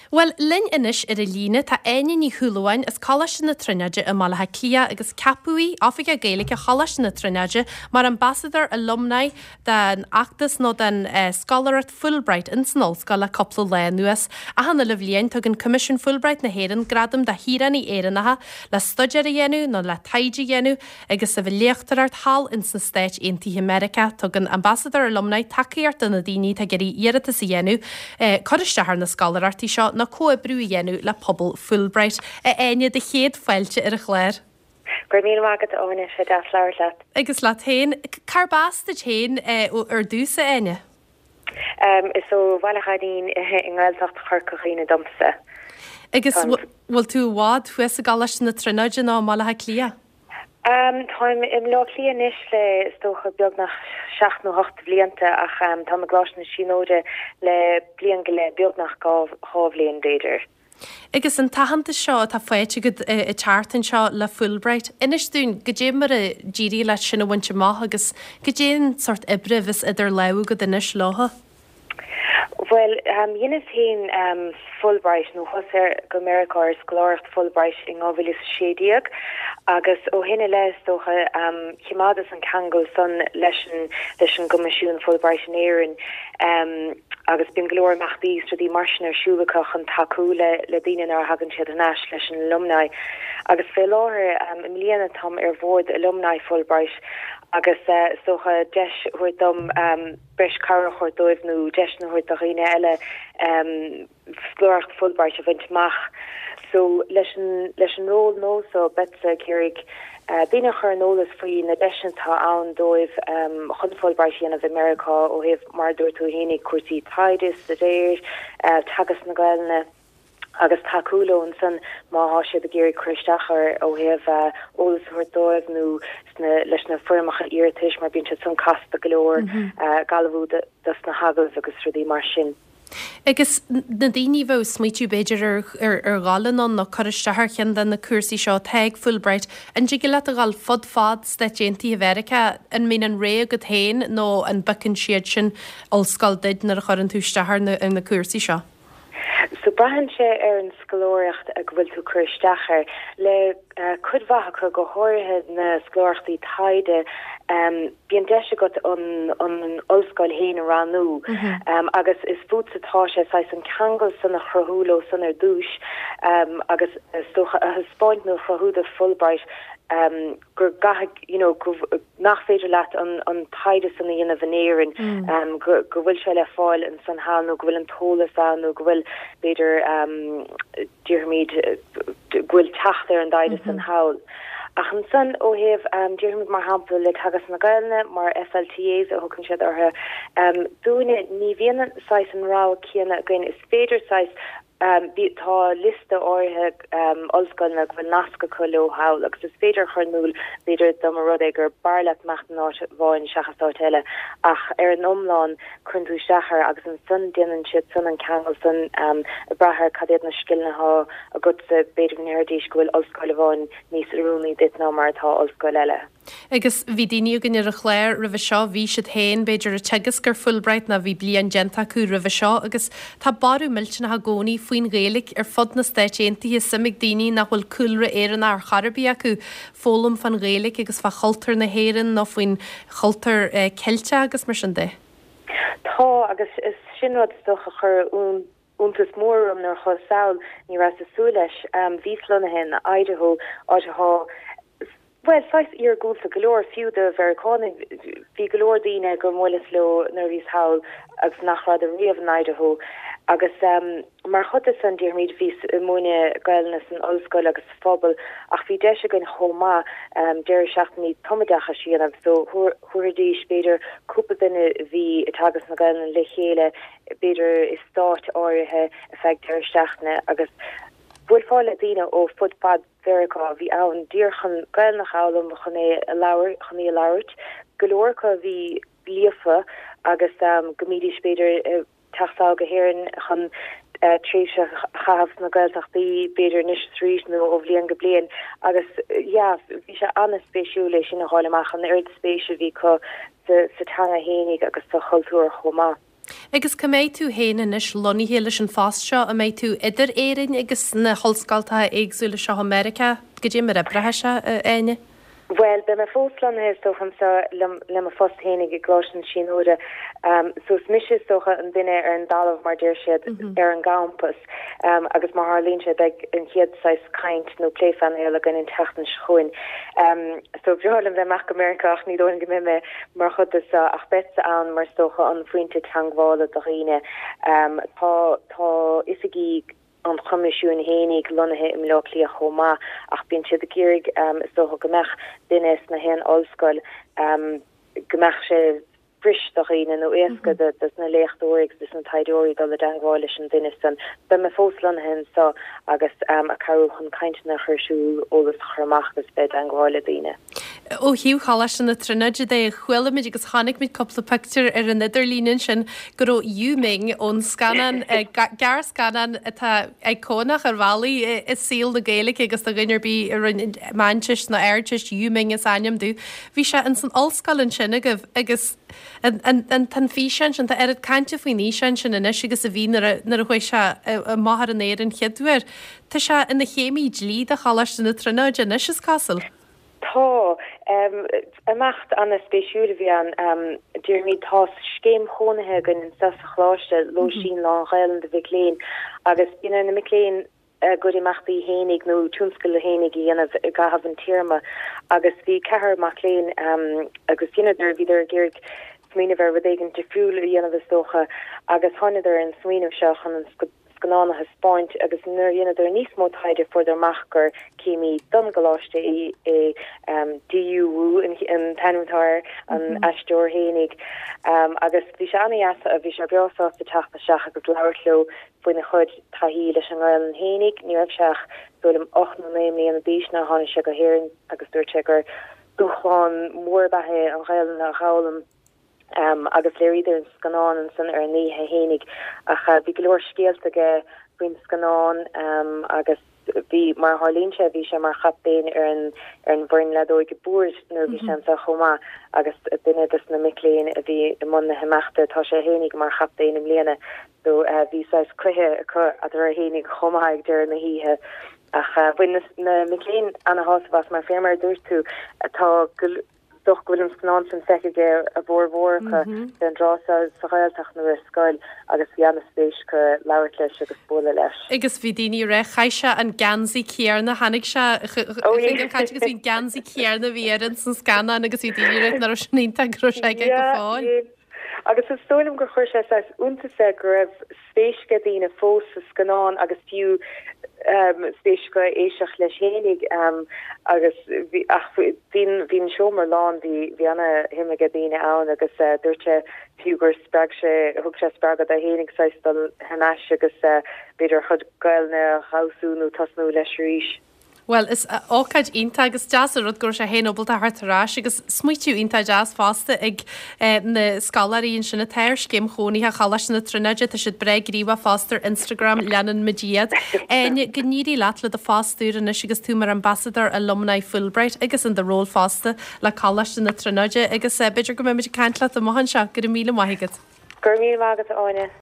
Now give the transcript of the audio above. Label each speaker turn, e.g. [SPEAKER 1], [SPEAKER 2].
[SPEAKER 1] Bhuel, linn anois ar an líne tá Áine Ní Shúilleabháin as Coláiste na Tríonóide i mBaile Átha Cliath agus ceapadh í, Oifigeach Gaeilge Choláiste na Tríonóide, mar Ambasadóir Alumni den fheachtas nó den scoláireacht Fulbright ins an ollscoil le cúpla lá anuas. Achan uile bhliain tugann Coimisiún Fulbright na hÉireann gradam do shaoránaigh Éireannacha le staidéar a dhéanamh nó le taighde a dhéanamh agus a bheith ag léachtóireacht thall ins na Stáit Aontaithe Meiriceá. Tugann Ambasadóir Alumni tacaíocht do na daoine atá ag iarraidh iarratas a dhéanamh, cur isteach ar na scoláireachtaí seo nó comhoibriú a dhéanamh le pobal Fulbright. A Áine, do chéad fáilte ar an chlár.
[SPEAKER 2] Go raibh míle maith agat, a Áine, sé deas labhairt leat.
[SPEAKER 1] Agus leat féin. Cárb as duit féin ar dtús, a Áine?
[SPEAKER 2] Is ó Bhaile Ghainín i nGaeltacht Chorca Dhuibhne domsa.
[SPEAKER 1] Agus bhfuil tú i bhfad thuas i gColáiste na Tríonóide nó i mBaile Átha Cliath?
[SPEAKER 2] Táim i mBleá Cliath anois le, is dócha, beagnach seacht nó hocht de bhlianta ach táim i gColáiste na Tríonóide le bliain go leith, beagnach dhá bhliain b'fhéidir.
[SPEAKER 1] Agus an t-aitheantas seo atá faighte agat an tseachtain seo le Fulbright, inis dúinn goidé mar a d'éirigh leat sin a bhaint amach agus goidé an sórt oibre a bheas idir lámha agat anois leotha.
[SPEAKER 2] Bhuel, dheineas féin Fulbright, nó chuas ar go Meiriceá ar scoláireacht Fulbright in 2016 agus ó shin i leith, is dócha, chimeádas an ceangal san leis an leis an gCoimisiún Fulbright in Éirinn agus bíonn go leor imeachtaí is rudaí mar sin ar siúl acu chun tacú le le daoine nuair a thagann siad thar n-ais leis an alumni. Agus fé láthair, i mbliana, táim ar bhord alumni Fulbright agus is dócha deis a thabhairt dom breis cabhrach a thabhairt dóibh nó deiseanna a thabhairt do dhaoine eile scoláireacht Fulbright a bhaint amach. So leis an leis an ról nua so beadsa ag iarraidh daoine a chur ar an eolas faoi na deiseanna atá ann dóibh chun Fulbright a dhéanamh i Meiriceá ó thaobh mar a dúirt tú fhéinig cúrsaí taighde, staidéir, teagasc na Gaelainne agus tacú leo ansan má thá siad ag iarraidh cur isteach air ó thaobh eolas a thabhairt dóibh nó sna leis na foirmeacha iarratais mar bíonn siad san casta go leor, ag ullmhú dos na hagallaimh agus rudaí mar sin.
[SPEAKER 1] Agus na daoine a bheadh ag smaoitiú b'fhéidir ar ar dhul anonn nó cur isteach ar cheann de na cúrsaí seo atá ag Fulbright, an dtig leat a dhul fud fad Stáit Aontaithe Mheiriceá? An mbíonn an rogha agat féin nó an bpiocann siad sin ollscoil duit nuair a chuireann tú isteach ar na ar na cúrsaí seo?
[SPEAKER 2] So braitheann sé ar an scoláireacht go bhfuil tú ag cur isteach air. Le cuid mhaith acu, go háirithe na scoláireachtaí taighde, bíonn deis agat an an ollscoil féin a roghnú agus is fútsa atá sé saghas an ceangal san a chruthú leo san ar dtús agus is dócha a thaispeáint nó a chruthú do Fulbright go gcaithfidh, you know, go, nach féidir leat an, an taighde san a dhéanamh in Éirinn, go, go bhfuil sé le fáil ansan thall nó go bhfuil an t-eolas ann nó go bhfuil, b'fhéidir, déarfaimid, go bhfuil teacht ar an dtaighde san thall. Ach ansan ó thaobh, déarfaimid mar shampla le Teagasc na Gaelainne, mar FLTAs a thugann siad orthu, dúinne ní bhíonn an saghas an rogha céanna againn, is féidir saghas Tá liosta áirithe ollscoileanna go bhfuil nasc acu leo thall agus is féidir a chur in iúl, b'fhéidir, dá mba rud é gur b'fhearr leat imeacht in áit amháin seachas áit eile. Ach ar an iomlán, cuireann tú isteach air agus ansan déanann siad san an ceangal san ag brath ar cad iad na scileanna atá agatsa, b'fhéidir go ndéarfaidís go bhfuil ollscoil amháin níos oiriúnaí duit ná mar atá ollscoil eile.
[SPEAKER 1] Agus bhí daoine againn ar an chlár roimhe seo, bhí siad féin, b'fhéidir, ag teagasc ar Fulbright nó bhí bliain déanta acu roimhe seo agus tá borradh millteanach i gcónaí faoin Ghaeilge ar fud na Stáit Aontaithe, suim ag daoine nach bhfuil cúlra Éireannach ar chor ar bith acu foghlaim fán Ghaeilge agus fá chultúr na hÉireann nó faoin chultúr Ceilteach agus mar sin de.
[SPEAKER 2] Tá, agus sin rud is dócha a chuir iontas mór orm nuair a chuas sall, ní rabhas ag súil leis. Bhíos lonnaithe in Idaho, áit athá, bhuel, saghas iargúlta go leor, fiú do Mheiriceánaigh. Bhí go leor daoine gur bhuaileas leo nuair a bhíos thall agus nach rabhadar riamh in Idaho. Agus mar chuid de san, déarfaimid, bhíos ag múineadh Gaelainne san ollscoil agus sa phobal ach bhí deis againn chomh maith deireadh seachtainí tumoideachais a dhéanamh. So thabharfaidís, b'fhéidir, cúpla duine a bhí ag teagasc na Gaelainne le chéile, b'fhéidir i stáit áirithe ar feadh deireadh seachtaine agus bhuailfeá le daoine ó fud fad Mheiriceá a bhí ann díreach chun Gaelainn a fhoghlaim, chun é a labhairt, chun í a labhairt. Go leor acu a bhí líofa agus go mbídís b'fhéidir ag teacht sall go hÉirinn chun tréimhse a chaitheamh sna Gaeltachtaí b'fhéidir anois is arís nó ó bhliain go bliain agus yeah bhí sé an-spéisiúil é sin a fháil amach, an oiread spéise a bhí acu sa teanga fhéinig agus sa chultúr chomh maith.
[SPEAKER 1] Agus cá mbeidh tú féin anois lonnaithe leis an phost seo? An mbeidh tú idir Éirinn agus na hollscoltacha éagsúla seo i Meiriceá? Goidé mar a oibreoidh sé, a Áine?
[SPEAKER 2] Bhuel, beidh mé fós lonnaithe is dócha anseo le mo phost fhéinig i gColáiste na Tríonóide. So is mise is dócha an duine ar an dtalamh mar deir siad ar an gcampas. Agus mar tharlaíonn sé beidh an chéad saghas caint nó plé phainéil againn an tseachtain seo chugainn. So bhreá liom bheith amach go Meiriceá ach ní dóigh liom go mbeidh mé mar chuid de seo ach beadsa ann mar is dócha an phointe teangmhála do dhaoine. Tá tá oifigí an Choimisiúin fhéinig lonnaithe i mBaile Átha Cliath chomh maith ach bíonn siad ag iarraidh is dócha go mbeadh duine sna haon ollscoil go mbeadh sé fuirist do dhaoine nó éasca dos na léachtóirí agus dos na taighdeoirí dul i dteangmháil leis an duine san. Beidh mé fós lonnaithe anseo agus ag cabhrú chun cainteanna a chur ar siúl, eolas a chur amach agus bheith i dteangmháil le daoine.
[SPEAKER 1] Ó thaobh Choláiste na Tríonóide de, chuala muid agus chonaic muid cúpla pictiúr ar an idirlíon ansin go raibh Yu Ming ón scannán, gearrscannán atá íocónach ar bhealaí i saol na Gaeilge agus do dhuine ar bith a rinne Meánteist nó Ardteist, Yu Ming is ainm dó. Bhí sé ins an ollscoil ansin agaibh agus an, an, an, tá an físeán sin, tá oiread cainte faoin fhíseán sin anois agus a bhí nuair a, nuair a chuaigh sé amach ar an aer an chéad uair. Tá sé ina chéimí dlí do Choláiste na Tríonóide anois, is cosúil.
[SPEAKER 2] Tá. Imeacht an-spéisiúil a bhí ann. Déarfaimid, tá scéim chónaithe againn anseo sa choláiste, lóistín lán-Ghaelainn do mhic léinn, agus bíonn ar na mic léinn a gcuid imeachtaí fhéinig nó tionscadail fhéinig a dhéanamh i gcaitheamh an téarma. Agus bhí ceathrar mac léinn agus dheineadar, bhíodar ag iarraidh smaoineamh ar rud éigin difriúil a dhéanamh is dócha, agus thánadar ar an smaoineamh seo chun an scannán a thaispeáint agus nuair a dheineadar níos mó taighde fuaireadar amach gur céimí don gcoláiste é DU Wu an t-ainm atá air, an aisteoir fhéinig agus bhí sé ana-dheas, bhí sé breá sásta teacht isteach agus labhairt leo faoina chuid taithí leis an nGaelainn fhéinig. Ní raibh sé ach, is dóigh liom, 8 nó 9 mbliana d'aois nuair a tháinig sé go hÉirinn agus dúirt sé gur dúshlán mór ab ea é an Ghaelainn a dh'fhoghlaim. Agus léiríodar an scannán ansan ar an oíche fhéinig. Ach bhí go leor scéalta aige faoin scannán agus bhí, mar a tharlaíonn sé, bhí sé mar chaptaen ar an ar an bhfoireann leadóige boird nuair a bhí sé anseo chomh maith agus duine dos na mic léinn a bhí i mbun na himeachta, tá sé fhéinig mar chaptaen i mbliana. So bhí saghas cluiche acu eatarthu fhéinig chomh maith ag deireadh na hoíche. Ach bhain na mic léinn ana-shásamh as mar fé mar a dúirt tú, tá go dócha go bhfuil an scannán sin feicthe ag a bhformhór acu fén dtráth seo sa Ghaeltacht nó ar scoil agus bhí ana-spéis acu labhairt leis agus bualadh leis.
[SPEAKER 1] Agus bhí daoine ag rá, chaith sé an geansaí céarna, tháinig sé chuig an chaint agus bhí an geansaí céarna a bhí air ins an scannán agus bhí daoine ag rá nach raibh sin iontach go raibh sé aige go fóill.
[SPEAKER 2] Agus is dóigh liom gur chuir sé saghas iontas air go raibh spéis ag daoine fós sa scannán agus fiú spéis acu éisteacht leis fhéinig agus bhí ach bhí bhí an seomra lán, bhí bhí ana-shuim ag daoine ann agus dúirt sé fiú gur spreag sé, thug sé spreagadh dó fhéinig saghas dul thar n-ais agus b'fhéidir a chuid Gaelainne a fheabhsú nó tosnú leis arís.
[SPEAKER 1] Bhuel, is ócáid iontach agus deas an rud go raibh sé féin ábalta a theacht ar ais agus smaoitiú iontach deas fosta ag na scoláirí ansin atá ar scéim chónaithe Choláiste na Tríonóide, tá siad breá gníomhach fosta ar Instagram, leanann muid iad. Áine, go n-éirí leat le do phost úr anois agus tú mar Ambassador Alumni Fulbright agus in do ról fosta le Coláiste na Tríonóide agus b'fhéidir go mbeidh muid ag caint leat amach anseo. Go raibh míle maith agat.
[SPEAKER 2] Go raibh míle maith agat, a Áine.